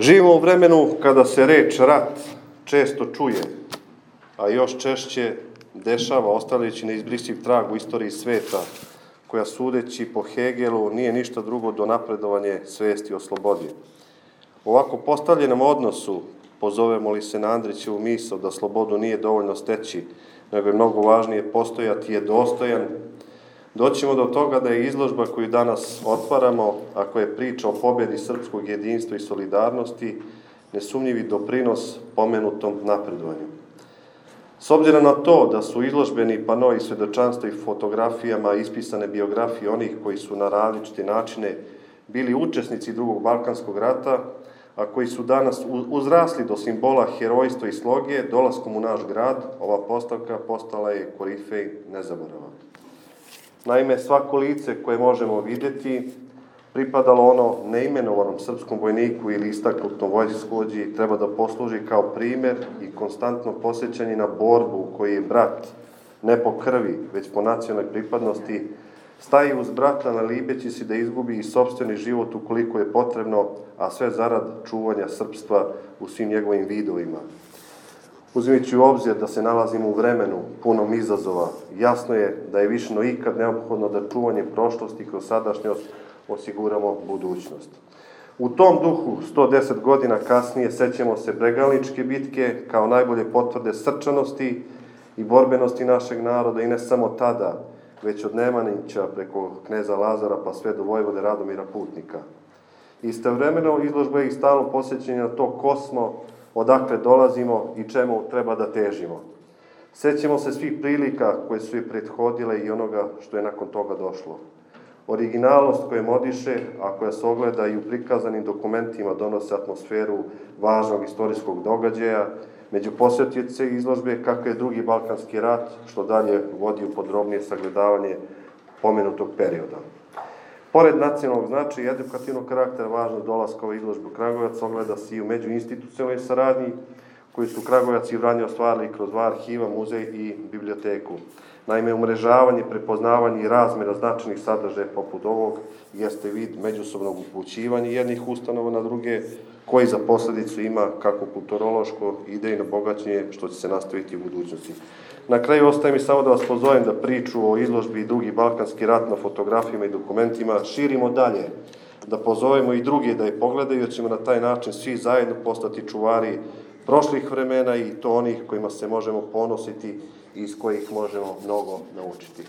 Živimo u vremenu kada se reč rat često čuje, a još češće dešava ostavljajući neizbrisiv trag u istoriji sveta, koja sudeći po Hegelu nije ništa drugo do napredovanje svesti o slobodi. U ovako postavljenom odnosu, pozovemo li se na Andrićevu misao da slobodu nije dovoljno steći, nego je mnogo važnije postojati je dostojan, doćemo do toga da je izložba koju danas otvaramo, a koja je priča o pobjedi srpskog jedinstva i solidarnosti, nesumnjivi doprinos pomenutom napredovanju. S obzirom na to da su izložbeni panoi svedočanstva i fotografijama ispisane biografije onih koji su na različite načine bili učesnici Drugog Balkanskog rata, a koji su danas uzrasli do simbola herojstva i sloge, dolaskom u naš grad, ova postavka postala je korifej nezaborava. Naime, svako lice koje možemo vidjeti, pripadalo ono neimenovanom srpskom vojniku ili istaknutom vojskovođi, treba da posluži kao primer i konstantno posjećanje na borbu u kojoj je brat, ne po krvi, već po nacionalnoj pripadnosti, staje uz brata nalibeći si da izgubi i sopstveni život ukoliko je potrebno, a sve zarad čuvanja srpstva u svim njegovim vidovima. Uzimajući u obzir da se nalazimo u vremenu punom izazova, jasno je da je više no ikad neophodno da čuvanje prošlosti kroz sadašnjost osiguramo budućnost. U tom duhu, 110 godina kasnije, sećamo se Bregalničke bitke kao najbolje potvrde srčanosti i borbenosti našeg naroda i ne samo tada, već od Nemanjića preko kneza Lazara pa sve do vojvode Radomira Putnika. Istovremeno izložba je i stalno posjećanje na to ko smo, odakle dolazimo i čemu treba da težimo. Sećamo se svih prilika koje su je prethodile i onoga što je nakon toga došlo. Originalnost koja modiše, a koja se ogleda i u prikazanim dokumentima, donose atmosferu važnog istorijskog događaja, među posjetioce izložbe kako je Drugi Balkanski rat, što dalje vodi u podrobnije sagledavanje pomenutog perioda. Pored nacionalnog značaja i edukativnog karaktera, važnost dolaska ove izložbe u Kragujevac ogleda se i u međuinstitucionalnoj saradnji, koju su Kragujevac i Vranje ostvarili kroz dva arhiva, muzej i biblioteku. Naime, umrežavanje, prepoznavanje i razmjena značajnih sadržaja poput ovog jeste vid međusobnog upućivanja jednih ustanova na druge, koji za posledicu ima kako kulturološko i idejno bogaćenje, što će se nastaviti u budućnosti. Na kraju ostaje mi samo da vas pozovem da priču o izložbi Drugi Balkanski rat na fotografijama i dokumentima širimo dalje, da pozovemo i druge da je pogledaju, jer ćemo na taj način svi zajedno postati čuvari prošlih vremena i to onih kojima se možemo ponositi i iz kojih možemo mnogo naučiti.